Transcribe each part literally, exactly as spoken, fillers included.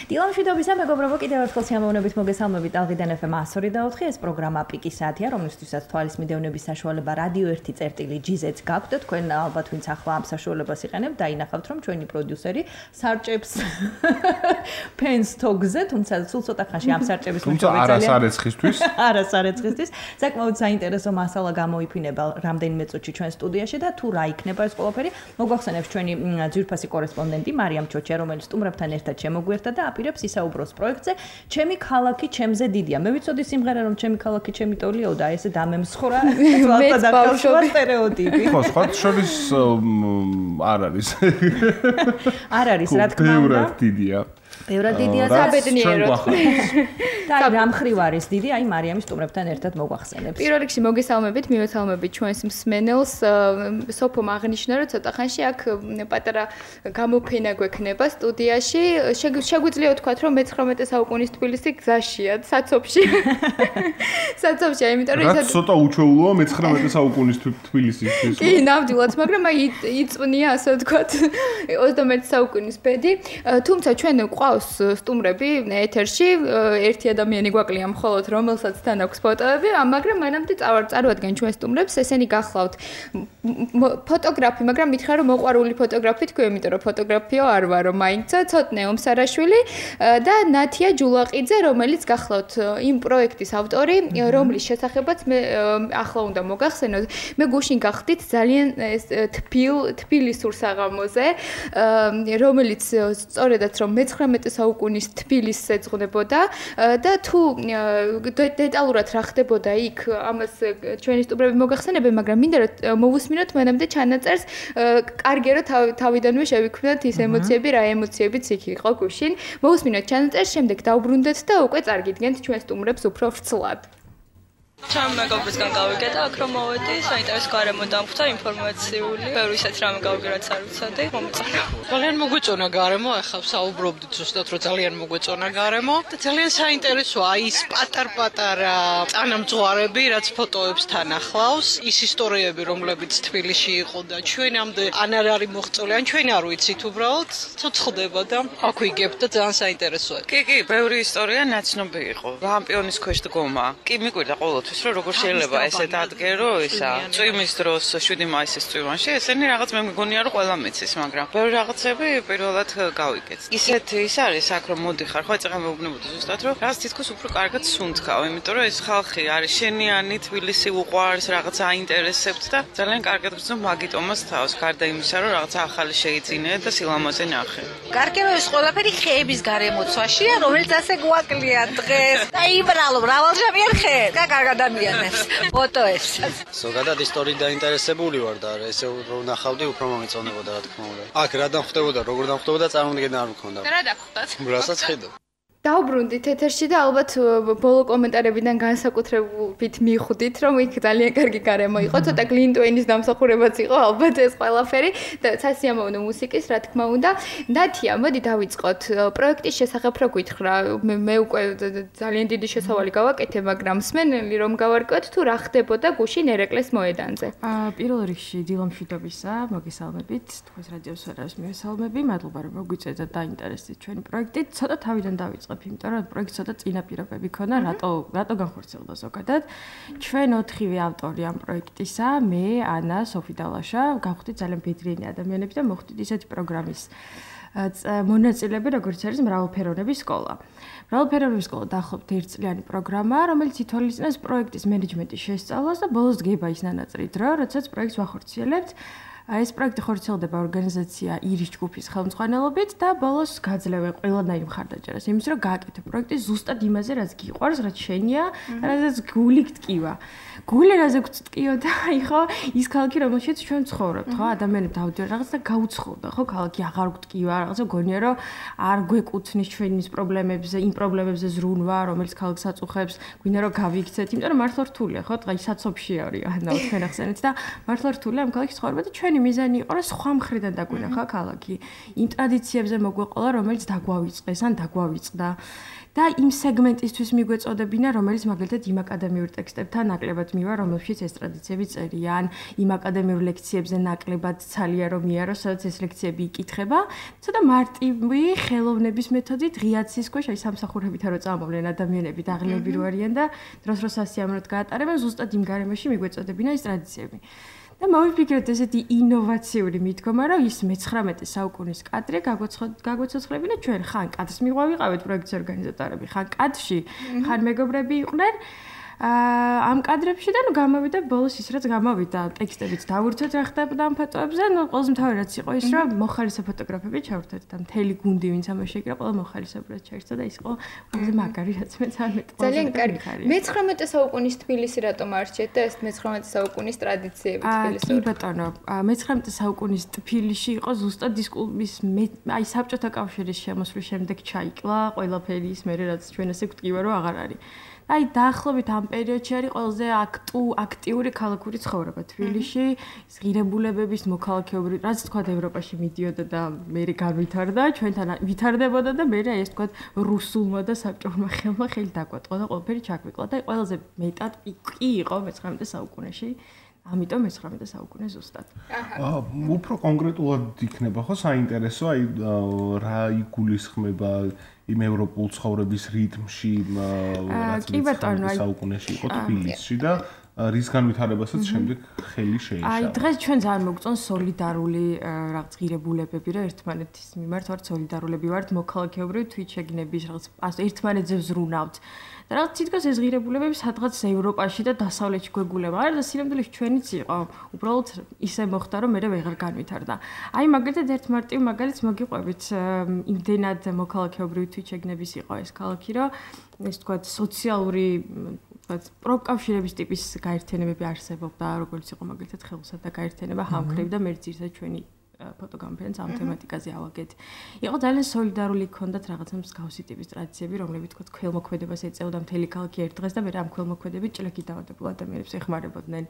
დილამშვიდობისა მეგობრებო, კიდევ ერთხელ სიამოვნებით მოგესალმებით ალღიდან ეფ ემ one oh four ეს პროგრამა პიკი საათია, რომლისთვისაც თვალის მიდევნების საშუალება რადიო ერთი წერტილი ჯი-ზედს გაქვთ და თქვენ ალბათ ვინც ახლა ამ საშუალებას იყენებთ, დაინახავთ რომ ჩვენი პროდიუსერი სარჭებს ფენს თოგზე, თუმცა სულ ცოტა ხანში ამ სარჭების მოჭრა არასარეცხისთვის. არასარეცხისთვის. საკმაოდ საინტერესო მასალა გამოიფინება რამდენიმე წუთში ჩვენ სტუდიაში და თუ რა იქნება ეს ყველაფერი, მოგვახსენებს ჩვენი ძვირფასი კორესპონდენტი მარიამ ჩოჩა, რომელიც სტუმრებთან ერთად შემოგვიერთდა და აპირებს ისაუბროს პროექტზე ჩემი ქალაქი ჩემზე დიდია. მე ვიცოდი სიმღერა რომ ჩემი ქალაქი ჩემი ტოლიო და ესე დამემსხვრა თვალსა და კავშირა სტერეოტიპი. ხო, სხვა შორის არ არის. არ არის, რა თქმა უნდა. ბევრად დიდია. ბევრად დიდია და ბედნიერად. და რამ ხრივ არის დიდი, აი მარიამის სტუმრებთან ერთად მოგვახსენებს. პირველ რიგში მოგესალმებით, მივესალმებით ჩვენს მსმენელს. სოფომ აღნიშნა რომ ცოტა ხანში აქ პატარა გამოფენა გვექნება სტუდიაში. შეგვიძლია ვთქვათ რომ მეცხრამეტე საუკუნის თბილისი გზაშია, საცობში. საცობშია, იმიტომ რომ რაც ცოტა უჩვეულოა მეცხრამეტე საუკუნის თბილისისთვის. კი, ნამდვილად, მაგრამ აი იწვნია ასე ვთქვათ ოცდამეერთე საუკუნის ბედი. თუმცა ჩვენ ყავს სტუმრები ეთერში, ერთი ადამიანი გვაკლია მხოლოდ რომელსაც თან აქვს ფოტოები, მაგრამ მანამდე წავარდგენ ჩვენ სტუმრებს, ესენი გახლავთ ფოტოგრაფი, მაგრამ მითხრა რომ მოყვარული ფოტოგრაფი თქვი, იმიტომ რომ ფოტოგრაფიო არ ვარო, მაინც ცოტნე ომსარაშვილი და ნათია ჯულაყიძე, რომელიც გახლავთ იმ პროექტის ავტორი, რომლის შესახებაც მე ახლა უნდა მოგახსენოთ. მე გუშინ გახდით ძალიან თბილ თბილისურ საღამოზე, რომელიც სწორედაც რომ მეცხრამეტე საუკუნის თბილისს ეძღვნებოდა და თუ დეტალურად რა ხდებოდა იქ, ამას ჩვენი სტუმრები მოგახსენებენ, მაგრამ მინდა რომ მოვუსმინოთ მანამდე ჩანაწერს, კარგია რომ თავიდანვე შევიქმნათ ის ემოციები, რა ემოციებიც იქ იყო გუშინ. მოვუსმინოთ ჩანაწერს, შემდეგ დავბრუნდეთ და უკვე წარგიდგენთ ჩვენ სტუმრებს უფრო ვრცლად. Ჩემ მეგობრისგან გავიგე და აქ რომ მოვედი, საინტერესო გარემო დამხვდა, ინფორმაციული, ბევრი ისეთ რამე გავიგე, რაც არ ვიცოდი, მომეწონა. ძალიან მოგვეწონა გარემო, ახლა საუბრობდით ზუსტად რომ ძალიან მოგვეწონა გარემო და ძალიან საინტერესოა ის პატარ-პატარა წანამძღვარები, რაც ფოტოებს თან ახლავს, ის ისტორიები, რომლებიც თბილისში იყო და ჩვენამდე ან არ არის მოღწეული, ან ჩვენ არ ვიცით უბრალოდ, ცოცხლდება და აქ ვიგებთ და ძალიან საინტერესოა. კი, კი, ბევრი ისტორია ნაცნობი იყო. ვამპიონის ქვეშ დგომა. კი, მიკვირდა ყოველთვის რომ როგორ შეიძლება ესე დადგერო ისა წვიმის დროს შვიდი მაისის წვიმაში ესენი რაღაც მე მგონია რომ ყველა მეცის მაგრამ ბევრი რაღაცები პირველად გავიგეთ ისეთ ის არის აქ რომ მოდიხარ ხო ეცაღა მეუბნებოდი ზუსტად რომ რაღაც თითქოს უფრო კარგად სუნთქავ იმიტომ რომ ეს ხალხი არის შენიანი თბილისი უყვარს რაღაც აინტერესებთ და ძალიან კარგად გრძნობ მაგიტომას თავს გარდა იმისა რომ რაღაც ახალი შეიძინე და სილამაზე ნახე კარგი რომ ეს ყველაფერი ხეების გარემოცვაშია რომელიც ასე გვაკლია დღეს და იბრალო მრავალჟამიან ხეებს და კარგად ადამიანებს ფოტოებს. ზოგადად ისტორიით დაინტერესებული ვარ და ესე რომ ნახავდი უფრო მომეწონებოდა რა თქმა უნდა. აქ რა დამხვდებოდა, როგორ დამხვდებოდა წარმოდგენა არ მქონდა. რა დაგხვდათ? რასაც ხედავ. დავბრუნდით ეთერში და ალბათ ბოლო კომენტარებიდან განსაკუთრებით მიხვდით, რომ იქ ძალიან კარგი გარემო იყო, ცოტა გლინტვეინის დამსახურებაც იყო, ალბათ ეს ყველაფერი და სასიამოვნო მუსიკის, რა თქმა უნდა. ნათია, მოდი დავიწყოთ. პროექტის შესახებ რო გითხრა, მე უკვე ძალიან დიდი შესავალი გავაკეთე, მაგრამ მსმენელი რომ გავარკვევთ, თუ რა ხდებოდა გუშინ ერეკლეს მოედანზე. აა, პირველ რიგში დილამშვიდობისა, მოგესალმებით, თქვენს რადიოს ვერას მივესალმები, მადლობა რომ მოგვიწევთ და დაინტერესდით ჩვენი პროექტით. ცოტა თავიდან დავიწყე იმიტომ რომ პროექტს ცოტა წინა პირობები ქონა, რატო რატო განხორციელდა ზოგადად. ჩვენ ოთხივე ავტორი ამ პროექტისა, მე, ანა, სოფი და ლაშა, გავხდით ძალიან ბედრიენი ადამიანები და მოხდით ისეთი პროგრამის მონაწილეები, როგორც არის მრავალფეროვნების სკოლა. მრავალფეროვნების სკოლა დაახლოებით ერთწლიანი პროგრამაა, რომელიც ითვალისწინებს პროექტის მენეჯმენტის შესწავლას და ბოლოს დგება ის ნანაწრი დრო, როდესაც პროექტს ვახორციელებთ. ეს პროექტი ხორციელდება ორგანიზაცია ირის ჯგუფის ხელმძღვანელობით და ბოლოს გაძლევენ ყველანაირ მხარდაჭერას იმის რომ გააკეთო პროექტი ზუსტად იმაზე რაც გიყვარს, რაც შენია, რაც გული გტკივა. გული რაზე გტკიოდა, ხო, ის ქალაქი რომელშიც ჩვენ ცხოვრობთ, ხო, ადამიანები დავდიოდნენ რაღაც და გაუცხოვდა, ხო, ქალაქი აღარ გტკივა, რაღაცა გონია რომ არ გვეკუთვნის ჩვენის პრობლემებზე, იმ პრობლემებზე ზრუნვა, რომელიც ქალაქს აწუხებს, გვინდა რომ გავიქცეთ, იმიტომ რომ მართლა რთულია, ხო, დღეს საცობში არის, ანუ თქვენ ახსენეთ და მართლა რთულია ამ ქალაქის ცხოვრება და ჩვენ ჩვენი მიზანი იყო რომ სხვა მხრიდან დაგვინახა ქალაქი. იმ ტრადიციებზე მოგვეყოლა, რომელიც დაგვავიწყეს ან დაგვავიწყდა. და იმ სეგმენტისთვის მიგვეწოდებინა, რომელიც მაგალითად იმ აკადემიურ ტექსტებთან ნაკლებად მივა, რომელშიც ეს ტრადიციები წერიან, იმ აკადემიურ ლექციებზე ნაკლებად ცალია რომ მიარო, სადაც ეს ლექციები იკითხება. ცოტა მარტივი ხელოვნების მეთოდით ღიაცის ქვეშ აი სამსახურებითა რო წამოვლენ ადამიანები დაღლილები რო არიან და დროს-დროს სასიამოვნოდ გაატარებენ, ზუსტად იმ გარემოში მიგვეწოდებინა ეს ტრადიციები. და მოვიფიქრეთ ესეთი ინოვაციური მიდგომა, რომ ის მეცხრამეტე საუკუნის კადრი გაგვეცოცხლებინა ჩვენ ხან კადრს მიღვავიყავით პროექტის ორგანიზატორები, ხან კადრში, ხან მეგობრები იყვნენ. ამ კადრებში და ნუ გამოვიდა ბოლოს ის რაც გამოვიდა ტექსტებიც დავურცეთ რა ხდებოდა ამ ფოტოებზე, ნუ ყველაზე მთავარი რაც იყო ის რომ მოხალისე ფოტოგრაფები ჩავერთეთ და მთელი გუნდი ვინც ამაში ეკრა ყველა მოხალისებრად ჩაერთო და ის იყო ყველაზე მაგარი რაც მეც არ მეტყვი. ძალიან კარგი. მეცხრამეტე საუკუნის თბილისი რატომ არჩეთ და ეს მეცხრამეტე საუკუნის ტრადიციები თბილისში? კი ბატონო, მეცხრამეტე საუკუნის თბილისში იყო ზუსტად დისკურსის აი საბჭოთა კავშირის შემოსვლის შემდეგ ჩაიკლა ყველაფერი ის მე რაც ჩვენ ესე გვტკივა რომ აღარ არის. აი დაახლოებით ამ პერიოდში არის ყველაზე აქტიური ქალაქური ცხოვრება თბილისში, ღირებულებების მოქალაქეობრივი, რაც თქვა ევროპაში მიდიოდა და მე განვითარდა, ჩვენთან ვითარდებოდა და მე ეს თქვა რუსულმა და საბჭოურმა ხელმა ხელი დაგვატყო და ყველაფერი ჩაგვიკლა და ყველაზე მეტად კი იყო მეცხრამეტე საუკუნეში. ამიტომ მეცხრამეტე საუკუნე ზუსტად. აა უფრო კონკრეტულად იქნება ხო საინტერესო, აი რა იგულისხმება იმ ევროპულ ცხოვრების რიტმში, რაც მეცხრამეტე საუკუნეში იყო თბილისში და რის განვითარებასაც შემდეგ ხელი შეიშალა. აი დღეს ჩვენ ძალიან მოგწონს სოლიდარული რაღაც ღირებულებები, რა ერთმანეთის მიმართ ვართ სოლიდარულები ვართ, მოქალაქეობრივი თვითშეგნების რაღაც ერთმანეთზე ვზრუნავთ. და რაღაც თითქოს ეს ღირებულებები სადღაც ევროპაში და დასავლეთში გვეგულება. არა და სინამდვილეში ჩვენიც იყო. უბრალოდ ისე მოხდა, რომ მე ვეღარ განვითარდა. აი მაგალითად ერთ მარტივ მაგალითს მოგიყვებით, იმდენად მოქალაქეობრივი თვითშეგნების იყო ეს ქალაქი, რომ ეს თქვა სოციალური პროკავშირების ტიპის გაერთიანებები არსებობდა, როგორც იყო მაგალითად ხელოსად და გაერთიანება ჰამქრები და მე ძირითადად ჩვენი ფოტოგამფენს ამ თემატიკაზე ავაგეთ. იყო ძალიან სოლიდარული ქონდათ რაღაცა მსგავსი ტიპის ტრადიციები, რომლებიც თქო ქველმოქმედებას ეწეოდა მთელი ქალაქი ერთ დღეს და მე ამ ქველმოქმედებით ჭლექით დავადებულ ადამიანებს ეხმარებოდნენ.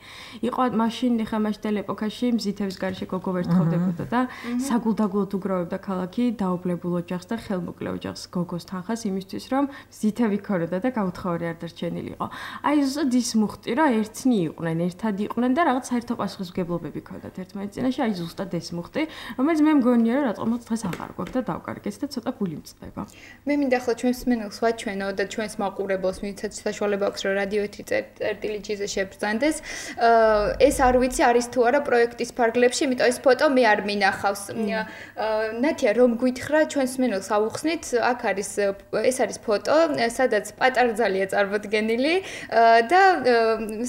იყო მაშინ ხა მაშტელ ეპოქაში მზითების გარშე გოგო ვერთხოვდებოდა და საგულდაგულოდ უგროვებდა ქალაქი დაობლებულ ოჯახს და ხელმოკლე ოჯახს გოგოს თანხას იმისთვის რომ მზითები ქონოდა და გაუთხოვარი არ დარჩენილიყო. აი ზუსტად ის მუხტი რა ერთნი იყვნენ, ერთად იყვნენ და რაღაც საერთო პასუხისმგებლობები ქონდათ ერთმანეთის წინაშე, აი ზუსტად ეს მუხტი რომელიც მე მგონია რომ რატომაც დღეს აღარ გვაქვს და დავკარგეთ და ცოტა გული მწყდება. მე მინდა ახლა ჩვენს მსმენელს ვაჩვენო და ჩვენს მაყურებელს ვინცაც საშუალება აქვს რომ რადიოთი წერტილიჯიზე შეგრძანდეს. ეს არ ვიცი არის თუ არა პროექტის ფარგლებში, იმიტომ ეს ფოტო მე არ მინახავს. ნათია რომ გვითხრა ჩვენს მსმენელს ავუხსნით, აქ არის ეს არის ფოტო, სადაც პატარძალია წარმოდგენილი და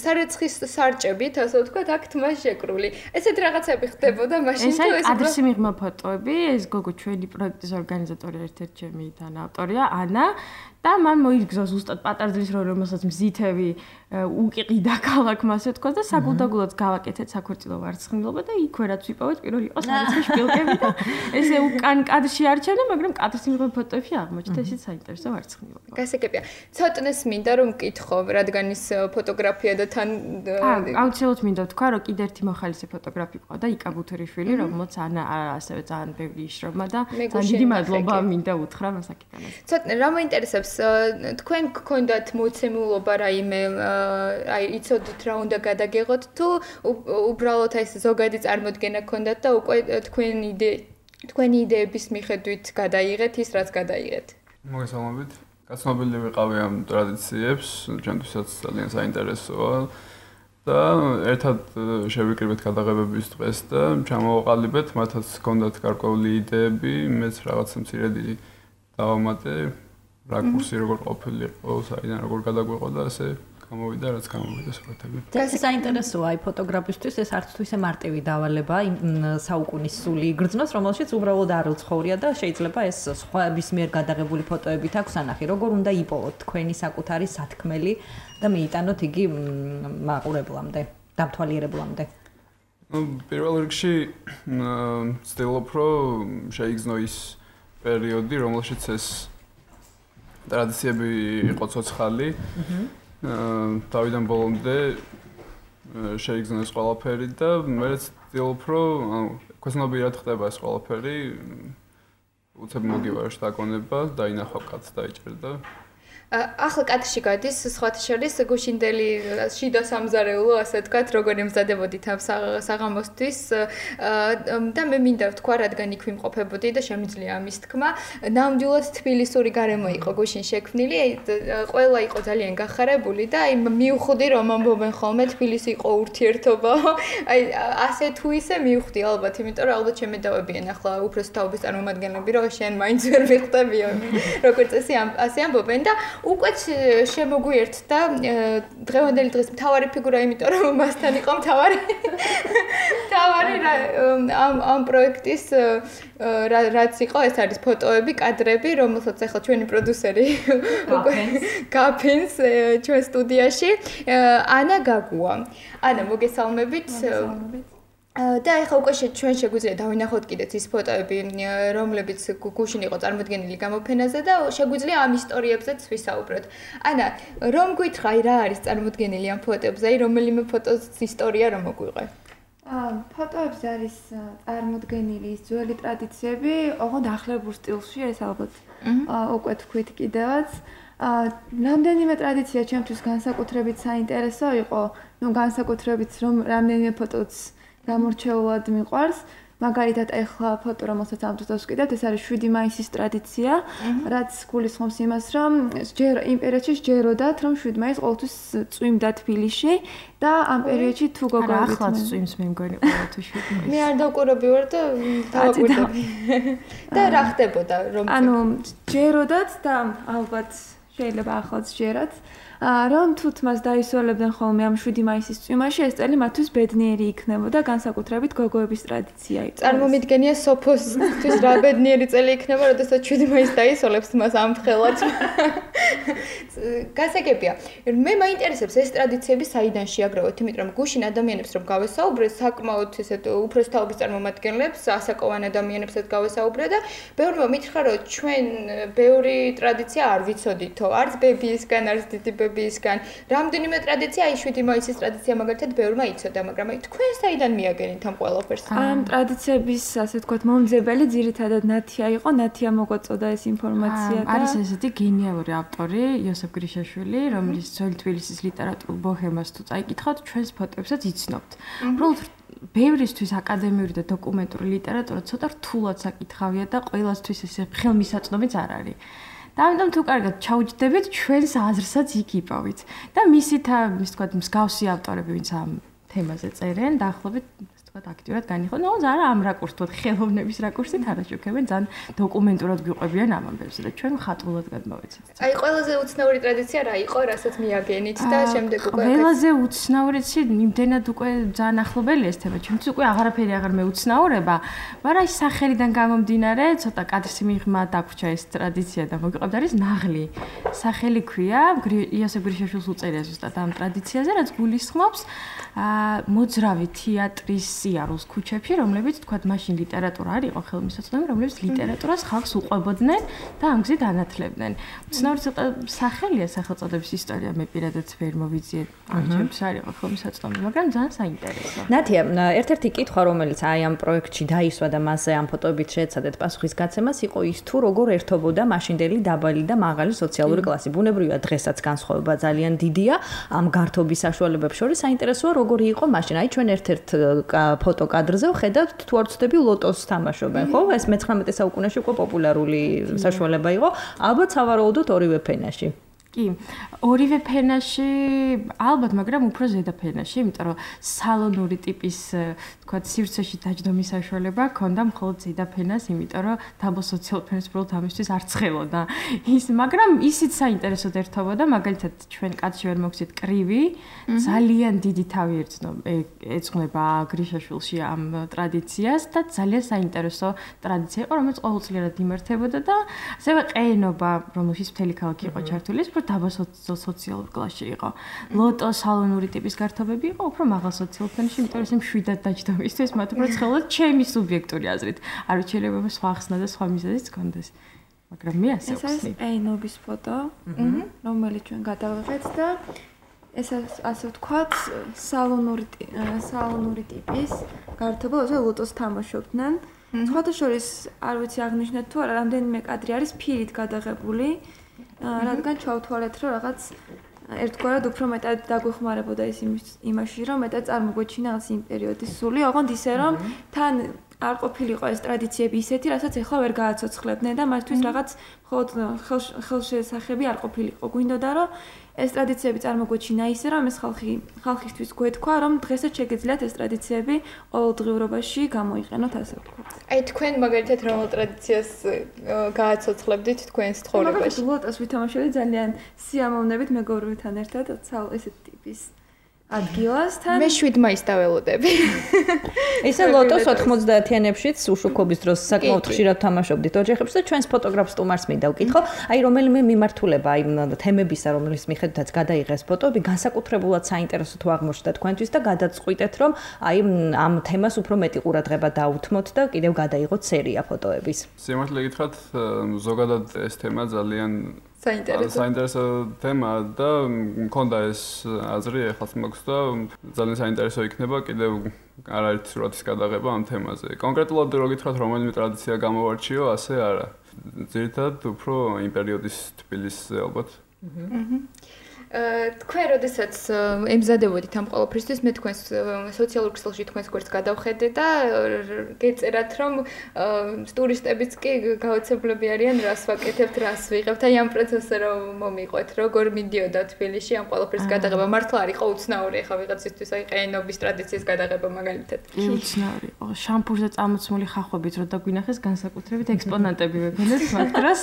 სარეცხის სარჭებით, ასე ვთქვათ, აქ თმა შეკრული. ესეთ რაღაცები ხდებოდა მაშინ თუ ეს ადრესი მიღმა ფოტოები, ეს გოგო ჩვენი პროექტის ორგანიზატორი ერთ-ერთი ჩემი თანაავტორია, ანა და მან მოიგზა ზუსტად პატარძლის როლი, რომელსაც მზითები უკიყიდა ქალაქმა, ასე ვთქვათ და საგულდაგულოდ გავაკეთეთ საქორწილო ვარცხნილობა და იქვე რაც ვიპოვეთ პირველი იყო სარეცხი შპილკები და ესე უკან კადრში არჩენე, მაგრამ კადრის მიღმა ფოტოებში აღმოჩნდა ისიც საინტერესო ვარცხნილობა. გასაგებია. ცოტნეს მინდა რომ მკითხო, რადგან ის ფოტოგრაფია და თან აუცილებლად მინდა ვთქვა, რომ კიდე ერთი მოხალისე ფოტოგრაფი ყო და იკა ბუთერიშვილი, რომელსაც ანა ასევე ძალიან ბევრი იშრობა და ძალიან დიდი მადლობა მინდა უთხრა მასაკიდანაც. ცოტნე რა მოინტერესებს თქვენ გქონდათ მოცემულობა რაიმე აი იცოდით რა უნდა გადაგეღოთ თუ უბრალოდ აი ზოგადი წარმოდგენა გქონდათ და უკვე თქვენი თქვენი იდეების მიხედვით გადაიღეთ ის რაც გადაიღეთ. მოგესალმებით. გაცნობილი ვიყავი ამ ტრადიციებს, ჩემთვისაც ძალიან საინტერესოა. და ერთად შევიკრიბეთ გადაღებების დღეს და ჩამოვაყალიბეთ, მათაც ჰქონდათ გარკვეული იდეები, მეც რაღაცა მცირედი დავამატე, რაკურსი როგორ ყოფილიყო, საიდან როგორ გადაგვეყო და ასე გამოვიდა, რაც გამოვიდა სურათები. ეს საინტერესოა აი ფოტოგრაფისტვის ეს არც თუ ისე მარტივი დავალება იმ საუკუნის სული იგრძნოს, რომელშიც უბრალოდ არ უცხოვრია და შეიძლება ეს სხვების მიერ გადაღებული ფოტოებით აქვს ანახი, როგორ უნდა იპოვოთ თქვენი საკუთარი სათქმელი და მიიტანოთ იგი მაყურებლამდე, დამთვალიერებლამდე. პირველ რიგში ვცდილობ, რომ შეიგრძნო ის პერიოდი, რომელშიც ეს ტრადიციები იყო ცოცხალი. თავიდან ბოლომდე შეიგრძნეს ყველაფერი და მეც ვცდილობ, რომ ქოსნობიერად ხდება ეს ყველაფერი. უცებ მოგივარშ დაკონება, დაინახავ კაცს დაიჭერდა. ახლა კადრში გადის სხვათა შორის გუშინდელი შიდა სამზარეულო, ასე ვთქვათ, როგორ ემზადებოდით ამ საღამოსთვის და მე მინდა ვთქვა, რადგან იქ ვიმყოფებოდი და შემიძლია ამის თქმა, ნამდვილად თბილისური გარემო იყო გუშინ შექმნილი, ყველა იყო ძალიან გახარებული და აი მივხვდი რომ ამბობენ ხოლმე თბილისი იყო ურთიერთობა, აი ასე თუ ისე მივხვდი ალბათ, იმიტომ რომ ალბათ შემედავებიან ახლა უფროს თაობის წარმომადგენლები, რომ შენ მაინც ვერ ვიხდებიო, როგორც ესე ასე ამბობენ და უკვე შემოგვიერთდა დღევანდელი დღის მთავარი ფიგურა, იმიტომ რომ მასთან იყო მთავარი მთავარი ამ ამ პროექტის რაც იყო, ეს არის ფოტოები, კადრები, რომელსაც ახლა ჩვენი პროდიუსერი გაფინს ჩვენ სტუდიაში ანა გაგუა. ანა, მოგესალმებით. და ეხლა უკვე ჩვენ შეგვიძლია დავინახოთ კიდეც ის ფოტოები, რომლებიც გუშინ იყო წარმოდგენილი გამოფენაზე და შეგვიძლია ამ ისტორიებზეც ვისაუბროთ. ანა, რომ გითხრა, რა არის წარმოდგენილი ამ ფოტოებზე, აი რომელიმე ფოტოს ისტორია რომ მოგვიღე? აა, ფოტოებზე არის წარმოდგენილი ის ძველი ტრადიციები, ოღონდ ახლებურ სტილში, ეს ალბათ უკვე თქვით კიდევაც. აა, რამდენიმე ტრადიცია ჩემთვის განსაკუთრებით საინტერესო იყო, ну განსაკუთრებით რომ რამდენიმე ფოტოც გამორჩეულად მიყვარს. მაგალითად, ეხლა ფოტო, რომელსაც ამ დროს ვკიდავთ, ეს არის შვიდი მაისის ტრადიცია, რაც გულისხმობს იმას, რომ ჯერ იმ პერიოდში ჯეროდათ, რომ შვიდი მაისი ყოველთვის წვიმდა თბილისში და ამ პერიოდში თუ გოგოებით ახლაც წვიმს მე მგონი ყველა თუ შვიდი მაისი. მე არ დავკვირები ვარ და დავკვირდები. და რა ხდებოდა რომ ანუ ჯეროდათ და ალბათ შეიძლება ახლაც ჯერათ. რომ თუთ მას დაისვენებდნენ ხოლმე ამ შვიდი მაისის წვიმაში, ეს წელი მათთვის ბედნიერი იქნებოდა, განსაკუთრებით გოგოების ტრადიცია იყო. წარმომიდგენია სოფოსთვის რა ბედნიერი წელი იქნება, როდესაც შვიდი მაისი დაისვენებს მას ამფრთხილად. გასაგებია. მე მაინტერესებს ეს ტრადიციები საიდან შეაგროვოთ, იმიტომ რომ გუშინ ადამიანებს რომ გავესაუბრე, საკმაოდ ესეთ უფროს თაობის წარმომადგენლებს, ასაკოვან ადამიანებსაც გავესაუბრე და ბევრმა მითხრა, რომ ჩვენ ბევრი ტრადიცია არ ვიცოდითო, არც ბებიისგან, არც დიდი ბებიისგან. რამდენიმე ტრადიცია, აი შვიდი მაისის ტრადიცია მაგალითად ბევრმა იცოდა, მაგრამ აი თქვენ საიდან მიაგენით ამ ყველაფერს? ამ ტრადიციების, ასე ვთქვათ, მომძებელი ძირითადად ნათია იყო, ნათია მოგაწოდა ეს ინფორმაცია და არის ესეთი გენიალური ავტორი, იოსებ გრიშაშვილი, რომელიც ძველი თბილისის ლიტერატურულ ბოჰემას თუ წაიკითხავთ, ჩვენს ფოტოებსაც იცნობთ. უბრალოდ ბევრისთვის აკადემიური და დოკუმენტური ლიტერატურა ცოტა რთულად საკითხავია და ყველასთვის ესე ხელმისაწვდომიც არ არის. და ამიტომ თუ კარგად ჩაუჯდებით, ჩვენს აზრსაც იქ იპოვით. და მისით, ის თქვა, მსგავსი ავტორები, ვინც ამ თემაზე წერენ, დაახლოებით ვთქვათ, აქტიურად განიხილავენ, მაგრამ არა ამ რაკურსით, ხელოვნების რაკურსით არაშუქებენ, ძალიან დოკუმენტურად გვიყვებიან ამ ამბებზე და ჩვენ ხატულად გადმოვეცეთ. აი, ყველაზე უცნაური ტრადიცია რა იყო, რასაც მიაგენით და შემდეგ უკვე ყველაზე უცნაურიც იმდენად უკვე ძალიან ახლობელი ეს თემა. ჩემთვის უკვე აღარაფერი აღარ მეუცნაურება, მაგრამ აი სახელიდან გამომდინარე, ცოტა კადრში მიღმა დაგვრჩა ეს ტრადიცია და მოგიყვებთ, არის ნაღლი. სახელი ქვია, იოსებ გრიშაშვილს უწერია ზუსტად ამ ტრადიციაზე, რაც გულისხმობს აა მოძრავი თეატრის სიარულს ქუჩებში, რომლებიც თქვათ მაშინ ლიტერატურა არ იყო ხელმისაწვდომი, რომლებიც ლიტერატურას ხალხს უყვებოდნენ და ამ გზით ანათლებდნენ. უცნაური ცოტა სახელია სახელწოდების ისტორია, მე პირადად ვერ მოვიძიე, ჩემთვის არ იყო ხელმისაწვდომი, მაგრამ ძალიან საინტერესო. ნათია, ერთ-ერთი კითხვა, რომელიც აი ამ პროექტში დაისვა და მასზე ამ ფოტოებით შეეცადეთ პასუხის გაცემას, იყო ის თუ როგორ ერთობოდა მაშინდელი დაბალი და მაღალი სოციალური კლასი. ბუნებრივია, დღესაც განსხვავება ძალიან დიდია ამ გართობის საშუალებებს შორის. საინტერესოა, როგორი იყო მაშინ. აი ჩვენ ერთ-ერთ ფოტო კადრზე ვხედავთ თუ არ ვცდები ლოტოს თამაშობენ, ხო? ეს მეცხრამეტე საუკუნეში უკვე პოპულარული საშუალება იყო, ალბათ სავარაუდოდ ორივე ფენაში. კი, ორივე ფენაში, ალბათ, მაგრამ უფრო ზედა ფენაში, იმიტომ რომ სალონური ტიპის, თქვათ, სივრცეში დაჯდომის საშუალება ჰქონდა მხოლოდ ზედა ფენას, იმიტომ რომ დაბალ სოციალურ ფენას უბრალოდ ამისთვის არ ცხელოდა. ის, მაგრამ ისიც საინტერესოდ ერთობოდა, მაგალითად, ჩვენ კაცში ვერ მოგცეთ კრივი, ძალიან დიდი თავი ეძღვნება გრიშაშვილში ამ ტრადიციას და ძალიან საინტერესო ტრადიცია იყო, რომელიც ყოველწლიურად იმართებოდა და ასევე ყეენობა, რომელშიც მთელი ქალაქი იყო ჩართული, დაბალ სოციალურ კლასში იყო. ლოტო სალონური ტიპის გართობები იყო უფრო მაღალ სოციალურ ფენაში, იმიტომ რომ ეს მშვიდად დაჯდომისთვის მათ უფრო ცხელოდა ჩემი სუბიექტური აზრით. არ ვიცი, შეიძლება სხვა ხსნა და სხვა მიზეზიც გქონდეს. მაგრამ მე ასე ვხსნი. ეს ეს ეინობის ფოტო, რომელიც ჩვენ გადავიღეთ და ეს ასე ვთქვათ, სალონური სალონური ტიპის გართობა, όσο ლოტოს თამაშობდნენ. სხვათა შორის არ ვიცი აღნიშნეთ თუ არა, რამდენიმე კადრი არის ფილით გადაღებული, რადგან ჩავთვალეთ, რომ რაღაც ერთგვარად უფრო მეტად დაგვეხმარებოდა ეს იმაში, რომ მეტად წარმოგვეჩინა ეს იმ პერიოდის სული, ოღონდ ისე რომ თან არ ყოფილიყო ეს ტრადიციები ისეთი, რასაც ახლა ვერ გააცოცხლებდნენ და მათთვის რაღაც მხოლოდ ხელშესახები არ ყოფილიყო. გვინდოდა რომ ეს ტრადიციები წარმოგვეჩინა ისე, რომ ეს ხალხი ხალხისთვის გვეთქვა, რომ დღესაც შეგეძლიათ ეს ტრადიციები ყოველდღიურობაში გამოიყენოთ, ასე ვთქვათ. აი თქვენ მაგალითად რომელ ტრადიციას გააცოცხლებდით თქვენს ცხოვრებაში? მაგალითად ლოტოს ვითამაშელი ძალიან სიამოვნებით მეგობრებთან ერთად ესეთ ტიპის ადგილასთან. მე შვიდ მაისს დაველოდები. ესე ლოტოს ოთხმოცდაათიანებშიც უშუქობის დროს საკმაოდ ხშირად თამაშობდით ოჯახებში და ჩვენს ფოტოგრაფ სტუმარს მინდა ვკითხო, აი რომელიმე მიმართულება, აი თემებისა, რომლის მიხედვითაც გადაიღეს ფოტოები, განსაკუთრებულად საინტერესო თუ აღმოჩნდა თქვენთვის და გადაწყვიტეთ, რომ აი ამ თემას უფრო მეტი ყურადღება დაუთმოთ და კიდევ გადაიღოთ სერია ფოტოების. სიმართლე გითხრათ, ზოგადად ეს თემა ძალიან საინტერესო საინტერესო თემა და მქონდა ეს აზრი ეხლაც მაქვს და ძალიან საინტერესო იქნება კიდევ არაერთი სურათის გადაღება ამ თემაზე. კონკრეტულად რო გითხრათ რომელიმე ტრადიცია გამოვარჩიო, ასე არა. ძირითადად უფრო იმ პერიოდის თბილისზე ალბათ. თქვენ როდესაც ემზადებოდით ამ ყოველფრისთვის მე თქვენს სოციალურ ქსელში თქვენს გვერდს გადავხედე და გეწერათ რომ ტურისტებიც კი გაოცებლები არიან რას ვაკეთებთ რას ვიღებთ აი ამ პროცესზე რომ მომიყვეთ როგორ მიდიოდა თბილისში ამ ყოველფრის გადაღება მართლა არ იყო უცნაური ახლა ვიღაცისთვის აი ყაენობის ტრადიციის გადაღება მაგალითად უცნაური შამპურზე წამოცმული ხახვებით რო დაგვინახეს განსაკუთრებით ექსპონატები ვეგონეთ მაგ დროს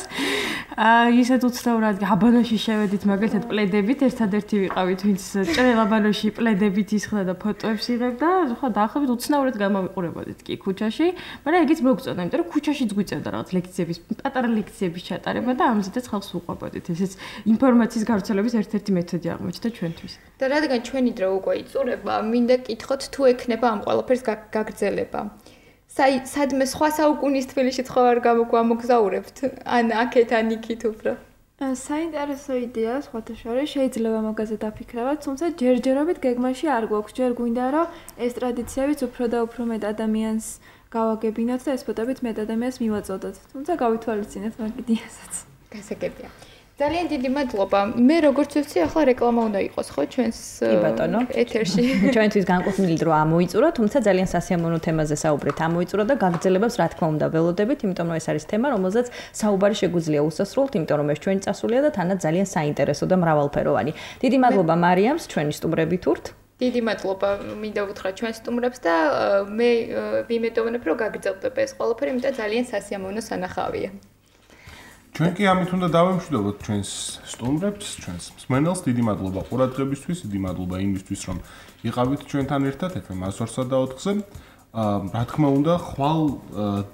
აი ისეთ უცნაურად აბანოში შევედით მაგალითად პლედებით ერთადერთი ვიყავით, ვინც ჭრელაბანოში პლედებით ისხდა და ფოტოებს იღებდა, ხო დაახლოებით უცნაურად გამოვიყურებოდით კი ქუჩაში, მაგრამ ეგიც მოგწონდა, იმიტომ რომ ქუჩაშიც გვიწევდა რაღაც ლექციების, პატარა ლექციების ჩატარება და ამზედაც ხალხს უყვებოდით. ესეც ინფორმაციის გავრცელების ერთ-ერთი მეთოდი აღმოჩნდა ჩვენთვის. და რადგან ჩვენი დრო უკვე იწურება, მინდა კითხოთ თუ ექნება ამ ყველაფერს გაგრძელება. საი სადმე სხვა საუკუნის თბილისში სხვა არ გამოგზაურებთ? ან აქეთ ან იქით უფრო? საინტერესო იდეა სხვათა შორის შეიძლება მაგაზე დაფიქრებათ, თუმცა ჯერჯერობით გეგმაში არ გვაქვს, ჯერ გვინდა რომ ეს ტრადიციებიც უფრო და უფრო მეტ ადამიანს გავაგებინოთ და ეს ფოტოებით მეტ ადამიანს მივაწოდოთ. თუმცა გავითვალისწინეთ მაგ იდეასაც. გასაგებია. ძალიან დიდი მადლობა. მე როგორც ვთქვი, ახლა რეკლამა უნდა იყოს, ხო, ჩვენს ეთერში. ჩვენთვის განკუთვნილი დრო ამოიწურა, თუმცა ძალიან სასიამოვნო თემაზე საუბრით ამოიწურა და გაგრძელებებს რა თქმა უნდა ველოდებით, იმიტომ რომ ეს არის თემა, რომელზეც საუბარი შეგვიძლია უსასრულოდ, იმიტომ რომ ეს ჩვენი წასულია და თანაც ძალიან საინტერესო და მრავალფეროვანი. დიდი მადლობა მარიამს, ჩვენი სტუმრებით ვურთ. დიდი მადლობა მინდა უთხრა ჩვენს სტუმრებს და მე ვიმედოვნებ, რომ გაგრძელდება ეს ყველაფერი, იმიტომ ძალიან სასიამოვნო სანახავია. ჩვენ კი ამით უნდა დავემშვიდობოთ ჩვენს სტუმრებს, ჩვენს მსმენელს. დიდი მადლობა ყურადღებისთვის, დიდი მადლობა იმისთვის, რომ იყავით ჩვენთან ერთად ეფ ემ ას ორსა და ოთხზე. რა თქმა უნდა, ხვალ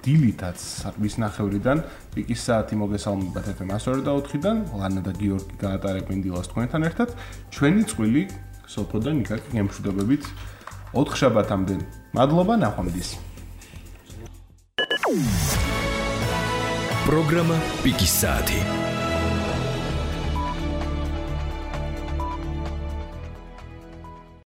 დილითაც ვისნახევრიდან პიკის საათი მოგესალმებათ ეფ ემ ას ორი და ოთხიდან. ლანა და გიორგი გაატარებენ დილას თქვენთან ერთად. ჩვენი წყვილი სოფო და ნიკა გემშვიდობებით ოთხ შაბათამდე. მადლობა, ნახვამდის. პროგრამა პიკის საათი.